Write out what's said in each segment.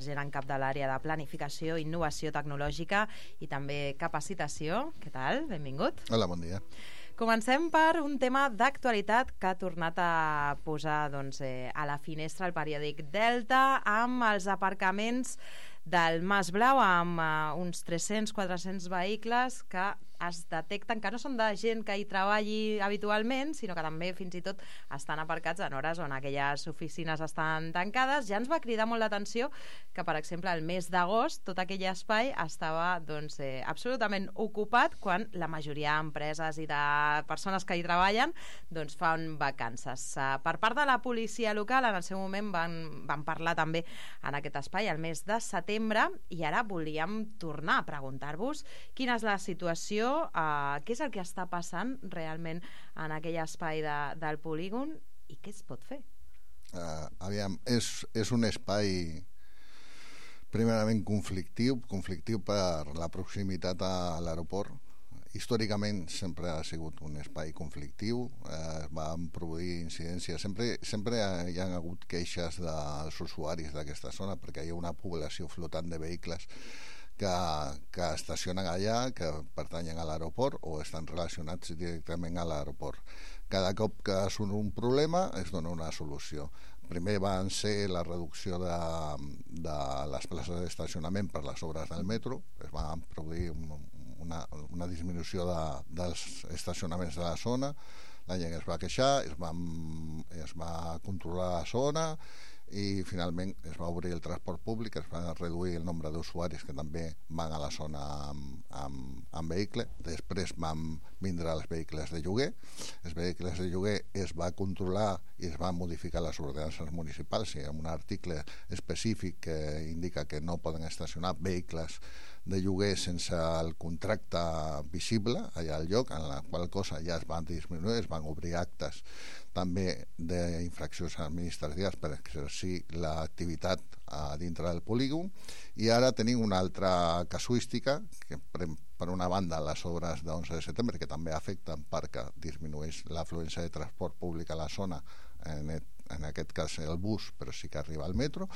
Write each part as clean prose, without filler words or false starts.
gent en cap de l'àrea de planificació, innovació tecnològica i també capacitació. Què tal? Benvingut. Hola, bon dia. Comencem per un tema d'actualitat que ha tornat a posar a la finestra el periòdic Delta amb els aparcaments del Mas Blau, amb uns 300-400 vehicles que es detecten que no són de gent que hi treballi habitualment, sinó que també fins i tot estan aparcats en hores on aquelles oficines estan tancades. Ja ens va cridar molt l'atenció que, per exemple, el mes d'agost tot aquell espai estava absolutament ocupat quan la majoria d'empreses i de persones que hi treballen fan vacances. Per part de la policia local, en el seu moment van parlar també en aquest espai el mes de setembre, i ara volíem tornar a preguntar-vos quina és la situació, què és el que està passant realment en aquell espai del polígon i què es pot fer? Aviam, és un espai primerament conflictiu per la proximitat a l'aeroport. Històricament sempre ha sigut un espai conflictiu, van produir incidències, sempre hi ha hagut queixes dels usuaris d'aquesta zona perquè hi ha una població flotant de vehicles que estacionen allà, que pertanyen a l'aeroport o estan relacionats directament a l'aeroport. Cada cop que surt un problema es dona una solució. Primer van ser la reducció de les places d'estacionament per les obres del metro, es va produir una disminució dels estacionaments de la zona, la gent es va queixar, es va controlar la zona i finalment es va obrir el transport públic, es va reduir el nombre d'usuaris que també van a la zona amb vehicle. Després van vindre els vehicles de lloguer. Els vehicles de lloguer es va controlar i es van modificar les ordenances municipals. Hi ha un article específic que indica que no poden estacionar vehicles de lloguer sense el contracte visible allà al lloc, en la qual cosa ja es van disminuir, es van obrir actes també d'infraccions administratives per exercir l'activitat dintre del polígon. I ara tenim una altra casuística que, per una banda, les obres d'11 de setembre, que també afecten perquè disminueix l'afluència de transport públic a la zona, en aquest cas el bus, però sí que arriba al metro,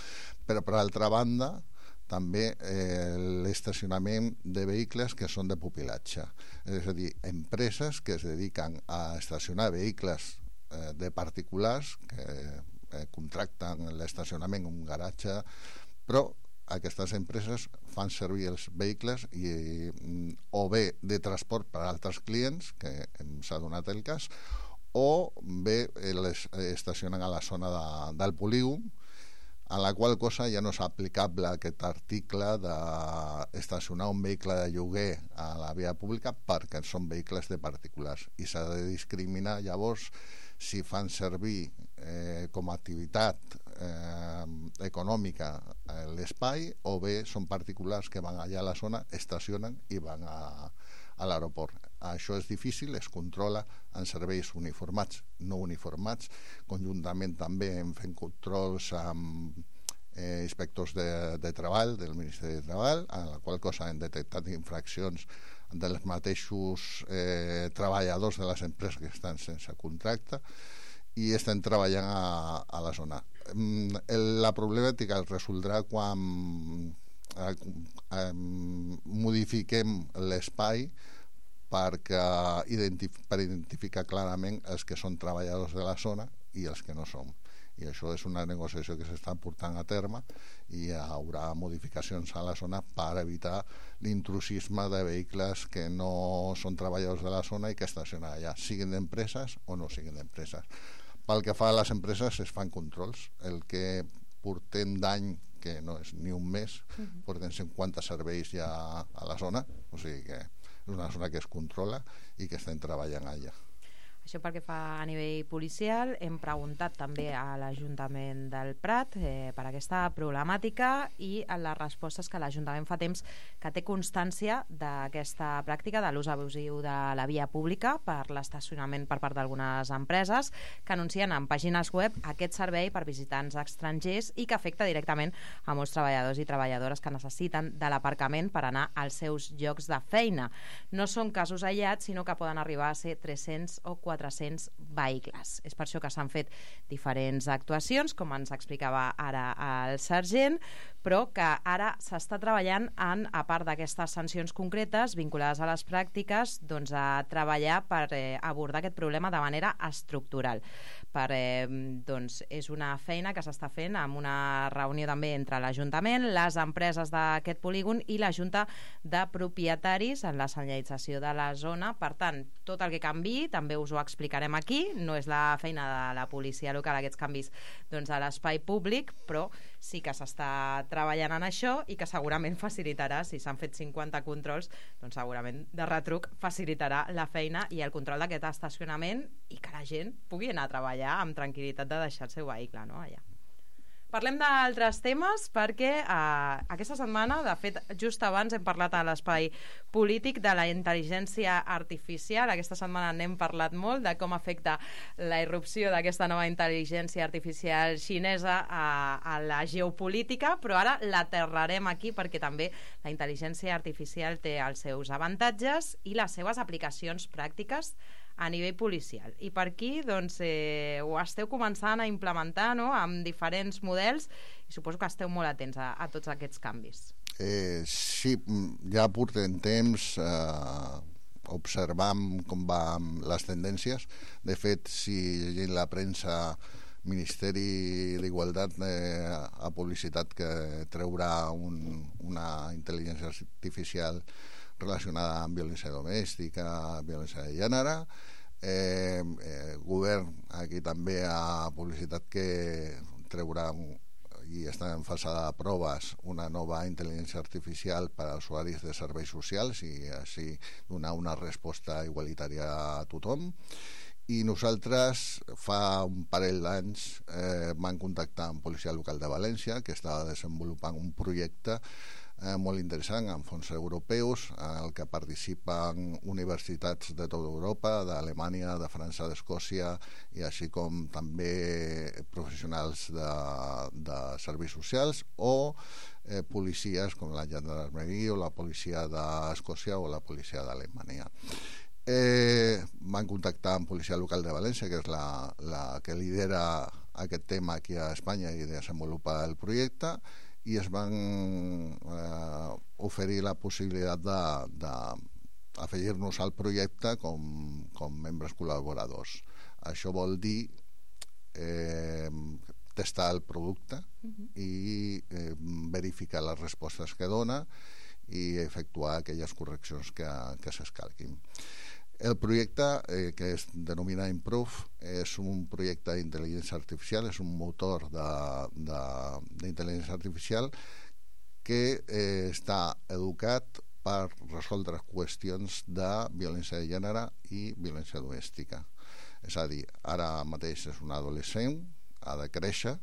però per altra banda també l'estacionament de vehicles que són de pupilatge, és a dir, empreses que es dediquen a estacionar vehicles de particulars que contracten l'estacionament en un garatge, però aquestes empreses fan servir els vehicles o bé de transport per a altres clients, que s'ha donat el cas, o bé les estacionen a la zona del polígon, a la qual cosa ja no és aplicable aquest article d'estacionar un vehicle de lloguer a la via pública perquè són vehicles de particulars, i s'ha de discriminar llavors si fan servir com a activitat econòmica l'espai o bé són particulars que van allà a la zona, estacionen i van a l'aeroport. Això és difícil, es controla en serveis uniformats, no uniformats. Conjuntament també hem fet controls amb inspectors de treball del Ministeri de Treball, a la qual cosa hem detectat infraccions dels mateixos treballadors de les empreses que estan sense contracte, i estem treballant a la zona. La problemàtica es resoldrà quan modifiquem l'espai per identificar clarament els que són treballadors de la zona i els que no són. I això és una negociació que s'està portant a terme i hi haurà modificacions a la zona per evitar l'intrusisme de vehicles que no són treballadors de la zona i que estacionen allà, siguin d'empreses o no siguin d'empreses. Pel que fa a les empreses, es fan controls. El que portem d'any, que no és ni un mes, portem 50 serveis ja a la zona, o sigui que és una zona que es controla i que estem treballant allà. Això pel que fa a nivell policial. Hem preguntat també a l'Ajuntament del Prat per aquesta problemàtica i en les respostes que l'Ajuntament fa temps que té constància d'aquesta pràctica de l'ús abusiu de la via pública per l'estacionament per part d'algunes empreses que anuncien en pàgines web aquest servei per visitants estrangers i que afecta directament a molts treballadors i treballadores que necessiten de l'aparcament per anar als seus llocs de feina. No són casos aïllats, sinó que poden arribar a ser 300 o 400 400 vehicles. És per això que s'han fet diferents actuacions, com ens explicava ara el sergent, però que ara s'està treballant a part d'aquestes sancions concretes vinculades a les pràctiques, doncs a treballar per abordar aquest problema de manera estructural. Doncs és una feina que s'està fent amb una reunió també entre l'Ajuntament, les empreses d'aquest polígon i la Junta de Propietaris en la senyalització de la zona. Per tant, tot el que canviï també us ho explicarem aquí. No és la feina de la policia local aquests canvis doncs, a l'espai públic, però sí que s'està treballant en això i que segurament facilitarà, si s'han fet 50 controls, doncs segurament de retruc facilitarà la feina i el control d'aquest estacionament i que la gent pugui anar a treballar amb tranquil·litat de deixar el seu vehicle, no? Allà. Parlem d'altres temes perquè aquesta setmana, de fet, just abans hem parlat a l'espai polític de la intel·ligència artificial. Aquesta setmana n'hem parlat molt de com afecta la irrupció d'aquesta nova intel·ligència artificial xinesa a la geopolítica, però ara l'aterrarem aquí perquè també la intel·ligència artificial té els seus avantatges i les seves aplicacions pràctiques a nivell policial. I per aquí doncs, ho esteu començant a implementar, no?, amb diferents models i suposo que esteu molt atents a tots aquests canvis. Sí, ja portem temps observant com van les tendències. De fet, si llegint la premsa, Ministeri d'Igualtat ha publicitat que treurà una intel·ligència artificial relacionada amb violència domèstica, violència de gènere. Govern aquí també ha publicitat que treurà i està en fase de proves una nova intel·ligència artificial per als usuaris de serveis socials i així donar una resposta igualitària a tothom. I nosaltres fa un parell d'anys vam contactar amb Policia Local de València, que estava desenvolupant un projecte molt interessant amb fons europeus en el que participen universitats de tota Europa, d'Alemanya, de França, d'Escòcia i així com també professionals de serveis socials o policies com la Gendarmeria o la policia d'Escòcia o la policia d'Alemanya. Van contactar amb Policia Local de València, que és la que lidera aquest tema aquí a Espanya i desenvolupa el projecte, i es van oferir la possibilitat d'afegir-nos al projecte com membres col·laboradors. Això vol dir testar el producte i verificar les respostes que dona i efectuar aquelles correccions que s'escalquin. El projecte, que es denomina Improve, és un projecte d'intel·ligència artificial, és un motor d'intel·ligència artificial que està educat per resoldre qüestions de violència de gènere i violència domèstica. És a dir, ara mateix és un adolescent, ha de créixer,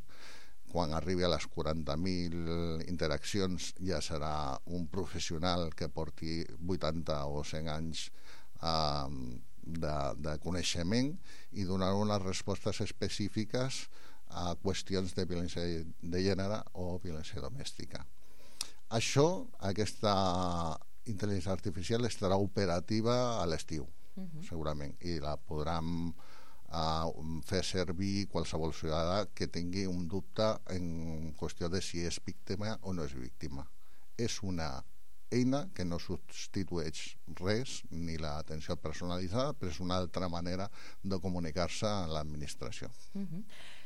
quan arribi a les 40.000 interaccions ja serà un professional que porti 80 o 100 anys de coneixement i donar unes respostes específiques a qüestions de violència de gènere o violència domèstica. Aquesta intel·ligència artificial estarà operativa a l'estiu, segurament, i la podran fer servir qualsevol ciutadà que tingui un dubte en qüestió de si és víctima o no és víctima. És una eina que no substitueix res, ni l'atenció personalitzada, però és una altra manera de comunicar-se a l'administració.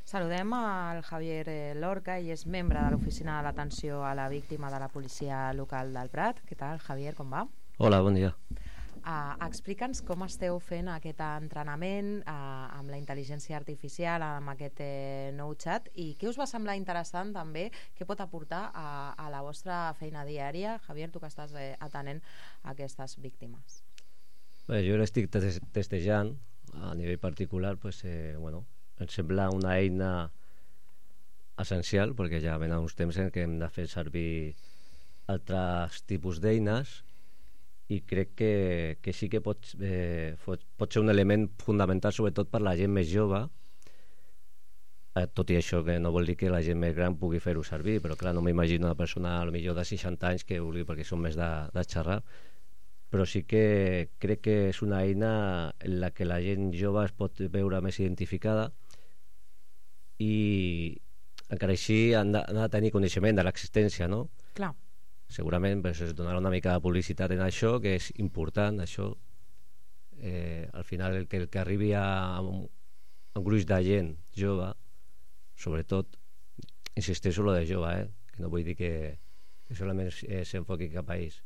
Saludem al Javier Lorca, i és membre de l'Oficina de l'Atenció a la Víctima de la Policia Local del Prat. Què tal, Javier, com va? Hola, bon dia. Explica'ns com esteu fent aquest entrenament amb la intel·ligència artificial, amb aquest nou xat, i què us va semblar interessant també, què pot aportar a la vostra feina diària, Javier, tu que estàs atenent a aquestes víctimes? Bé, jo l'estic testejant a nivell particular, em sembla una eina essencial, perquè ja ven uns temps en què hem de fer servir altres tipus d'eines, i crec que sí que pot ser un element fundamental, sobretot per la gent més jove, tot i això que no vol dir que la gent més gran pugui fer-ho servir, però clar, no m'imagino una persona potser de 60 anys que vulgui, perquè són més de xerrar, però sí que crec que és una eina en la que la gent jove es pot veure més identificada i encara així han de tenir coneixement de l'existència, no? Clar. Segurament pues, es donarà una mica de publicitat en això, que és important, això. Al final el que arribi a un gruix de gent jove, sobretot, insisteixo lo de jove, que no vull dir que solament s'enfoqui cap a ells.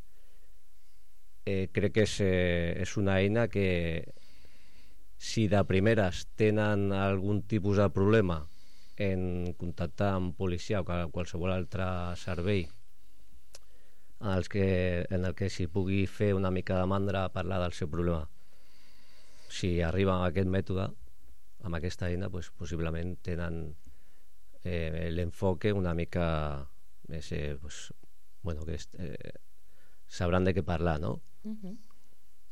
Crec que és una eina que si de primeres tenen algun tipus de problema en contactar amb policia o qualsevol altre servei en el que s'hi pugui fer una mica de mandra a parlar del seu problema, si arriba amb aquest mètode, amb aquesta eina, pues, possiblement tenen l'enfoque una mica més que sabran de què parlar, no?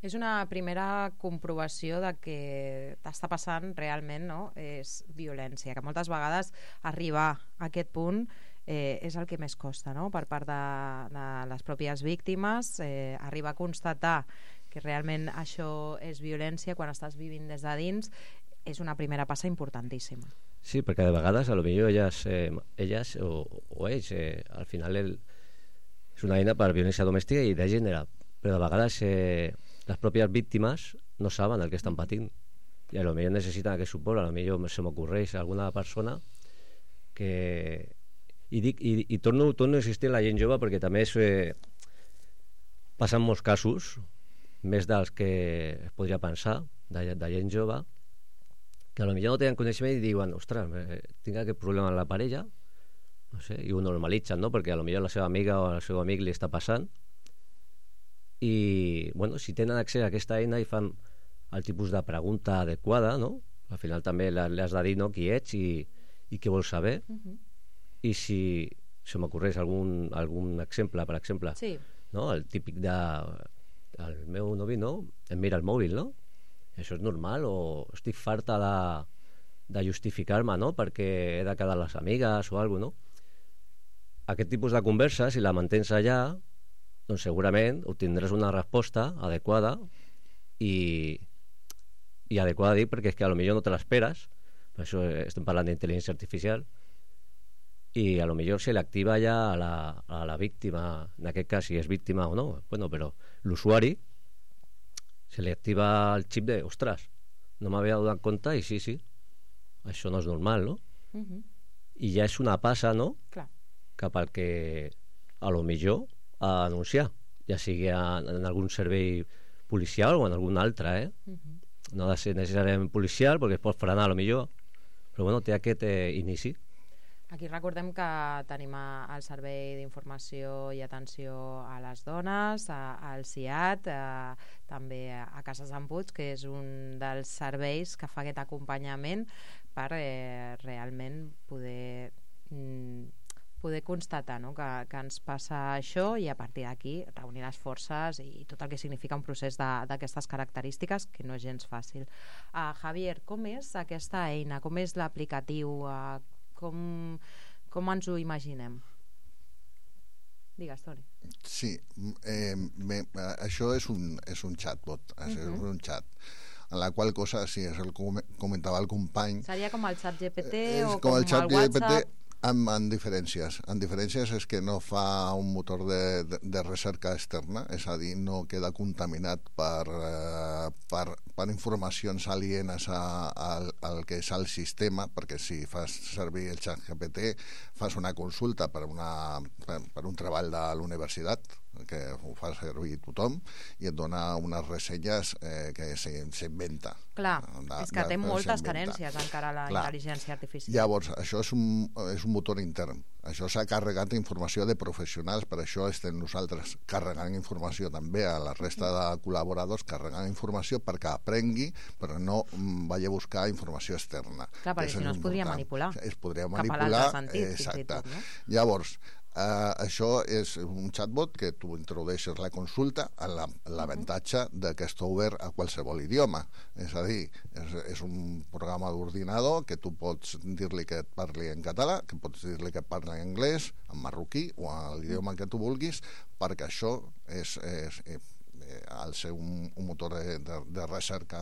És una primera comprovació de que està passant realment, no? És violència, que moltes vegades arribar a aquest punt és el que més costa, no? Per part de les pròpies víctimes, arribar a constatar que realment això és violència quan estàs vivint des de dins és una primera passa importantíssima. Sí, perquè de vegades a lo millor elles o ells al final és una eina per violència domèstica i de gènere, però de vegades les pròpies víctimes no saben el que estan patint i a lo millor necessiten aquest suport. A lo millor se m'ocorreix alguna persona que i torno a insistir en la gent jove perquè també passen molts casos, més dels que es podria pensar, de gent jove que a lo millor no tenen coneixement i diuen, ostres, tinc aquest problema amb la parella, no sé, i ho normalitzen, no? Perquè a lo millor la seva amiga o el seu amic li està passant i, bueno, si tenen accés a aquesta eina i fan el tipus de pregunta adequada, no? Al final també li has de dir, no?, qui ets i què vols saber. I si se m'ocorreix algun exemple, per exemple, sí, no? El típic el meu novi, no?, em mira el mòbil, no? Això és normal, o estic farta de justificar-me, no?, perquè he de quedar les amigues o alguna cosa, no? Aquest tipus de conversa, si la mantens allà, doncs segurament obtindràs una resposta adequada i adequada dic perquè és que a lo millor no te l'esperes, per això estem parlant d'intel·ligència artificial, i a lo millor se l'activa ja a la víctima, en aquest cas si és víctima o no, bueno, però l'usuari se li activa el xip de, ostres, no m'havia donat compte i sí, això no és normal, no? I ja és una passa, no?, clar, cap al que a lo millor a anunciar, ja sigui en algun servei policial o en algun altre, no ha de ser necessàriament policial perquè es pot frenar a lo millor, però bueno, té aquest inici. Aquí recordem que tenim el Servei d'Informació i Atenció a les Dones, al CIAT, també a Cases d'en Puig, que és un dels serveis que fa aquest acompanyament per realment poder constatar, no?, que ens passa això i a partir d'aquí reunir les forces i tot el que significa un procés d'aquestes característiques que no és gens fàcil. Javier, com és aquesta eina? Com és l'aplicatiu? Com ens ho imaginem? Digues, Toni. Sí, això és un chatbot, és un chat en la qual cosa, si és el que comentava el company, seria com el chat GPT o com el chat WhatsApp? amb diferències. En diferències és que no fa un motor de recerca externa, és a dir, no queda contaminat per informacions alienes al que és el sistema, perquè si fas servir el xat GPT fas una consulta per un treball de l'universitat, que ho fa servir tothom, i et dona unes ressenyes que s'inventa. Clar, és que té moltes carències encara la intel·ligència artificial. Llavors, això és un motor intern. Això s'ha carregat informació de professionals, per això estem nosaltres carregant informació també a la resta de col·laboradors, carregant informació perquè aprengui, però no vagi a buscar informació externa. Clar, perquè si no es podria manipular. Es podria manipular, cap a l'altre sentit, exacte. Tot, no? Llavors, això és un chatbot que tu introdueixes la consulta amb l'avantatge que està obert a qualsevol idioma, és a dir, és un programa d'ordinador que tu pots dir-li que et parli en català, que pots dir-li que et parli en anglès, en marroquí o en l'idioma que tu vulguis, perquè això al ser un motor de recerca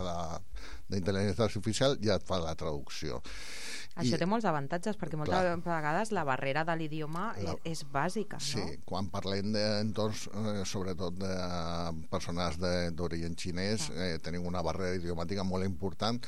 d'intel·ligència artificial ja et fa la traducció. Això té molts avantatges, perquè moltes vegades la barrera de l'idioma és bàsica, no? Sí, quan parlem d'entorns, sobretot de persones d'origen xinès, tenim una barrera idiomàtica molt important,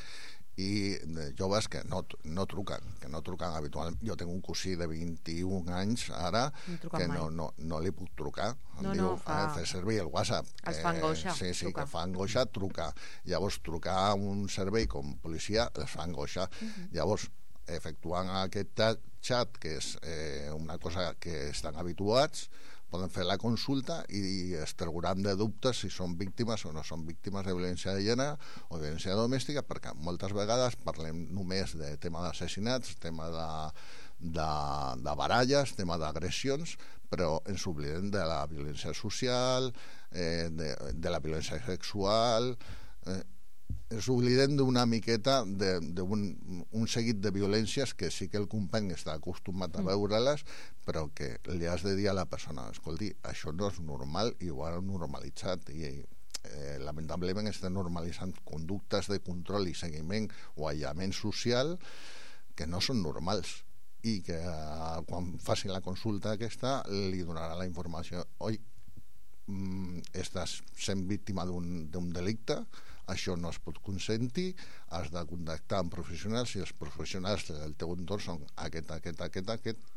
i joves que no truquen habitualment. Jo tinc un cosí de 21 anys ara que no li puc trucar. Em diu, fer servir el WhatsApp. Els fa angoixa. Sí, que fa angoixa trucar. Llavors, trucar a un servei com policia els fa angoixa. Llavors, efectuant aquest xat, que és una cosa que estan habituats, poden fer la consulta i es trauran de dubtes si són víctimes o no són víctimes de violència de gènere o de violència domèstica, perquè moltes vegades parlem només de tema d'assassinats, tema de baralles, tema d'agressions, però ens oblidem de la violència social, de la violència sexual, ens oblidem d'una miqueta d'un seguit de violències que sí que el company està acostumat a veure-les, però que li has de dir a la persona, escolti, això no és normal, i ho han normalitzat, i lamentablement estan normalitzant conductes de control i seguiment o aïllament social que no són normals, i que quan facin la consulta aquesta li donarà la informació. Oi, estàs sent víctima d'un delicte, això no es pot consentir, has de contactar amb professionals, i els professionals del teu entorn són aquest,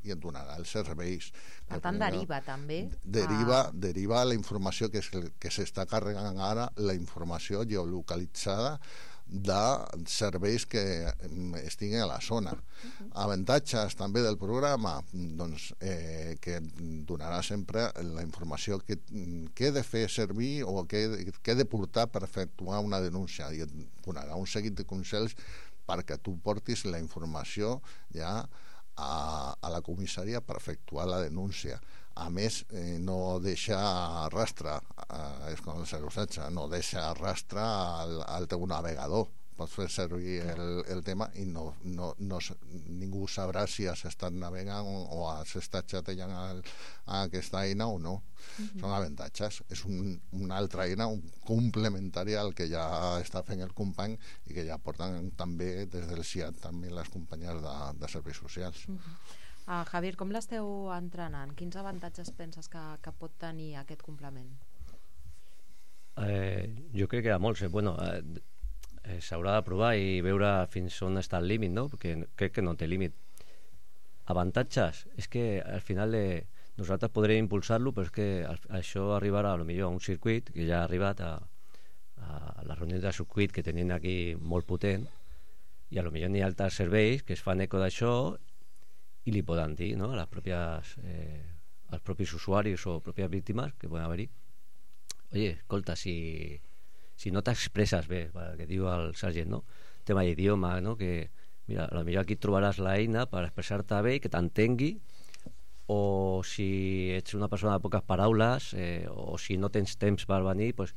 i et donarà els serveis. Per tant, deriva també? Deriva la informació que s'està carregant ara, la informació geolocalitzada de serveis que estiguin a la zona. Avantatges també del programa, doncs que donarà sempre la informació que he de fer servir o que he de portar per efectuar una denúncia, i et donarà un seguit de consells perquè tu portis la informació ja a la comissaria per efectuar la denúncia. A més, no deixa rastre, és com el 016, no deixa rastre al teu navegador. Pots fer servir el tema i ningú sabrà si has estat navegant o has estat xatejant a aquesta eina o no. Són avantatges. És una altra eina complementària al que ja està fent el company i que ja porten també des del CIAT també les companyies de serveis socials. Javier, com l'esteu entrenant? Quins avantatges penses que pot tenir aquest complement? Jo crec que hi ha molts. S'haurà de provar i veure fins on està el límit, no? Perquè crec que no té límit. Avantatges? És que al final nosaltres podrem impulsar-lo, però és que això arribarà potser a un circuit que ja ha arribat a la reunió de circuit que tenim aquí molt potent, i potser n'hi ha altres serveis que es fan eco d'això i li poden dir, no?, als propis usuaris o pròpies víctimes que poden haver-hi, oye, escolta, si no t'expresses bé, que diu el sergent, no?, tema d'idioma, no?, que mira, potser aquí trobaràs l'eina per expressar-te bé i que t'entengui, o si ets una persona de poques paraules, o si no tens temps per venir, doncs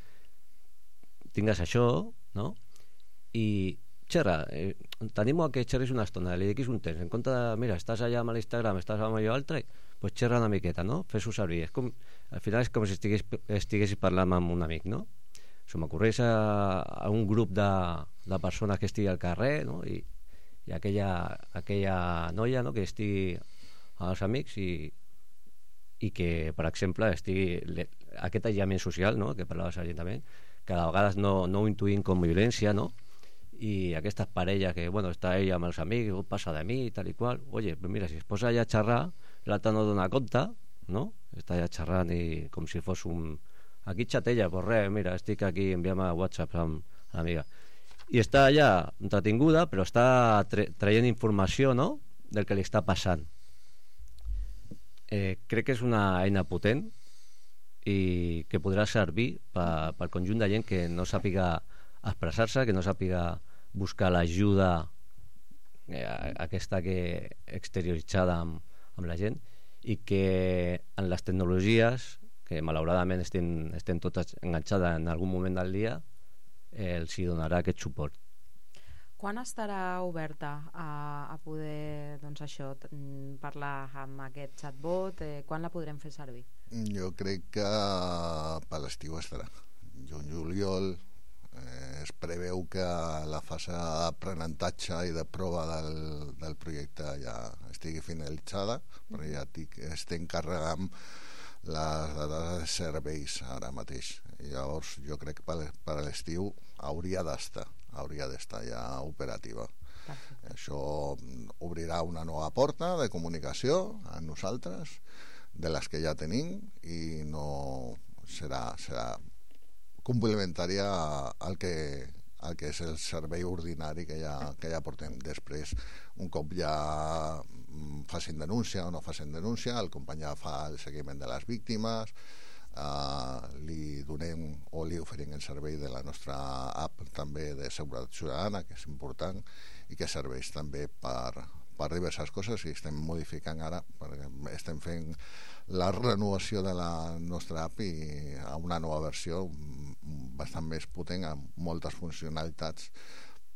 tingues això, no?, i xerra, t'animo a que xerris una estona, li dediquis un temps, en compte de, mira, estàs allà amb l'Instagram, estàs amb allò altre, doncs xerra una miqueta, no?, fes-ho servir. Al final és com si estiguessis parlant amb un amic, no? Se m'ocorreix a un grup de persones que estigui al carrer, no?, i aquella noia, no?, que estigui amb els amics i que, per exemple, estigui aquest aïllament social, no?, que parlava seriosament, que a vegades no ho intuïm com violència, no?, i aquestes parelles que, està ella amb els amics, passa de mi i tal i qual, oye, pues mira, si es posa allà a xerrar, l'altre no dona compte, no?, està allà xerrant i com si fos aquí xatella, pues res, mira, estic aquí, enviant a WhatsApp amb l'amiga, i està allà entretinguda, però està traient informació, no?, del que li està passant. Crec que és una eina potent i que podrà servir pel conjunt de gent que no sàpiga expressar-se, que no sàpiga buscar l'ajuda aquesta que exterioritzada amb la gent, i que en les tecnologies, que malauradament estem totes enganxades en algun moment del dia, els hi donarà aquest suport. Quan estarà oberta a poder, parlar amb aquest chatbot? Quan la podrem fer servir? Jo crec que per l'estiu estarà. juny-juliol. Es preveu que la fase d'aprenentatge i de prova del projecte ja estigui finalitzada, però ja estem encarregant les dades de serveis ara mateix. Llavors jo crec que per a l'estiu hauria d'estar ja operativa. Això obrirà una nova porta de comunicació a nosaltres, de les que ja tenim, i no serà complementària al que és el servei ordinari que ja portem. Després, un cop ja facin denúncia o no facin denúncia, el company ja fa el seguiment de les víctimes, li donem o li oferim el servei de la nostra app també de seguretat ciutadana, que és important i que serveix també per diverses coses, i estem modificant ara, perquè estem fent la renovació de la nostra app i a una nova versió bastant més potent, amb moltes funcionalitats,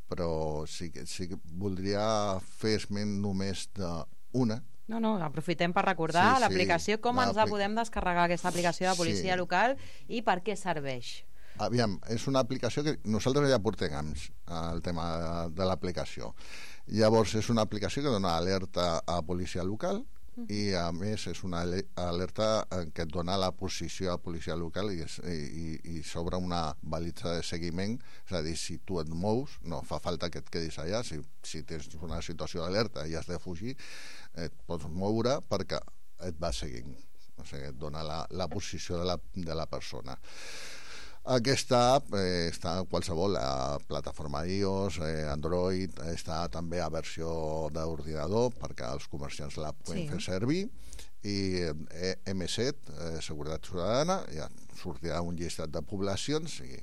però sí que voldria fer esment només d'una. No, aprofitem per recordar l'aplicació, com ens la podem descarregar, aquesta aplicació de policia local, i per què serveix. Aviam, és una aplicació que nosaltres ja portem anys, el tema de l'aplicació. Llavors és una aplicació que dona alerta a policia local, i a més és una alerta que et dona la posició a policia local i s'obre una balitza de seguiment, és a dir, si tu et mous no fa falta que et quedis allà, si tens una situació d'alerta i has de fugir, et pots moure perquè et va seguint, o sigui, et dona la posició de la persona. Aquesta app està a qualsevol plataforma iOS, Android, està també a versió d'ordinador perquè els comerciants la poden fer servir, i M7, Seguretat Ciutadana, ja sortirà un llistat de poblacions i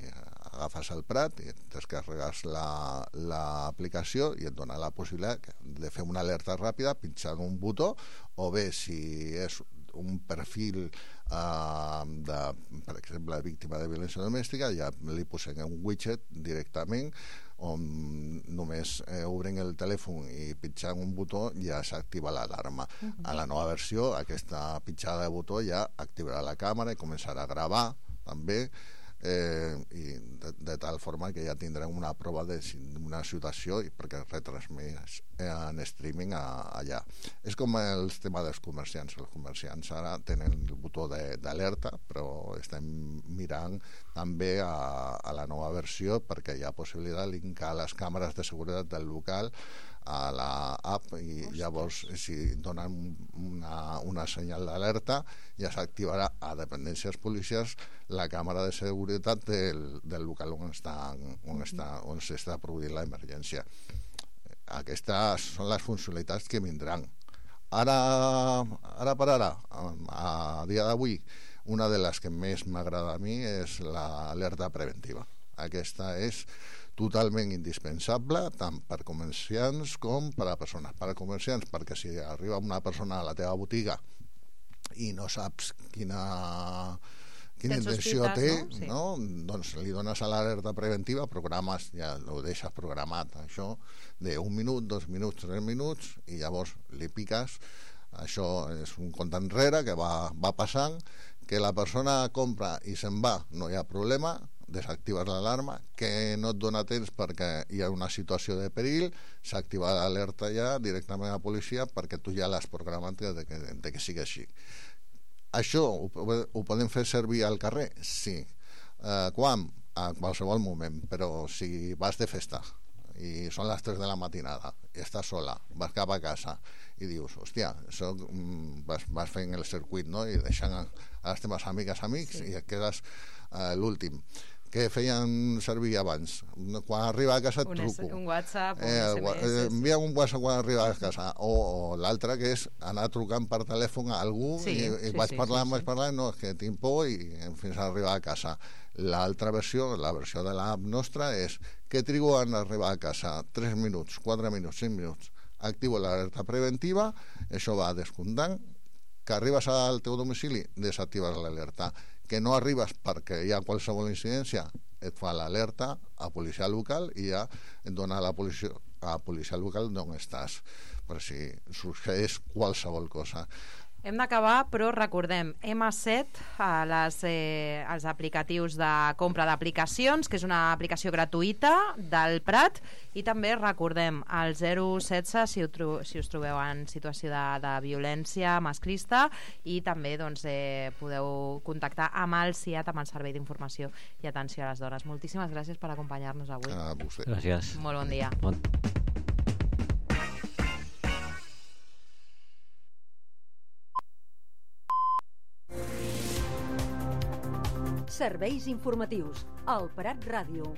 agafes el Prat i descarregues l'aplicació i et dona la possibilitat de fer una alerta ràpida pinxant un botó, o bé si és un perfil per exemple, víctima de violència domèstica, ja li posem un widget directament on només obren el telèfon i pitjant un botó ja s'activa l'alarma. A la nova versió, aquesta pitjada de botó ja activarà la càmera i començarà a gravar també, i de tal forma que ja tindrem una prova d'una situació perquè retransmès en streaming allà. És com el tema dels comerciants. Els comerciants ara tenen el botó d'alerta, però estem mirant també a la nova versió perquè hi ha possibilitat de linkar les càmeres de seguretat del local a l'app, i llavors si donen una senyal d'alerta ja s'activarà a dependències policials la càmera de seguretat del local on s'està produint l'emergència. Aquestes són les funcionalitats que vindran. Ara per ara, a dia d'avui, una de les que més m'agrada a mi és l'alerta preventiva. Aquesta és totalment indispensable tant per comerciants com per a persones. Per a comerciants, perquè si arriba una persona a la teva botiga i no saps quina intenció té, no? Doncs li dones a l'alerta preventiva, programes, ja ho deixes programat, això d'1 minut, 2 minuts, 3 minuts, i llavors li piques. Això és un compte enrere que va passant, que la persona compra i se'n va, no hi ha problema, desactives l'alarma, que no et dona temps perquè hi ha una situació de perill, s'activa l'alerta ja directament a la policia perquè tu ja l'has programat de que sigui així. Això ho podem fer servir al carrer? Sí. Quan? A qualsevol moment, però si vas de festa i són les 3 de la matinada i estàs sola, vas cap a casa i dius, hòstia, vas fent el circuit, no? I deixant a les teves amics i et quedes l'últim. Què feien servir abans? Quan arriba a casa et truco. Un WhatsApp, un SMS. Envia un WhatsApp quan arriba a casa. O l'altre, que és anar trucant per telèfon a algú i vaig parlant, no, és que tinc por i fins a arribar a casa. L'altra versió, la versió de l'app nostra, és que trigo en arribar a casa? 3 minuts, 4 minuts, 5 minuts. Activo l'alerta preventiva, això va descomptant. Que arribes al teu domicili, desactives l'alerta. Que no arribes perquè hi ha qualsevol incidència, et fa l'alerta a policia local i ja et dona a policia local d'on estàs, per si succeeix qualsevol cosa. Hem d'acabar, però recordem, M7, els aplicatius de compra d'aplicacions, que és una aplicació gratuïta del Prat, i també recordem el 016 si us trobeu en situació de violència masclista, i també doncs, podeu contactar amb el CIAT, amb el Servei d'Informació i Atenció a les Dones. Moltíssimes gràcies per acompanyar-nos avui. A vostè. Gràcies. Molt bon dia. Serveis informatius al Prat Ràdio.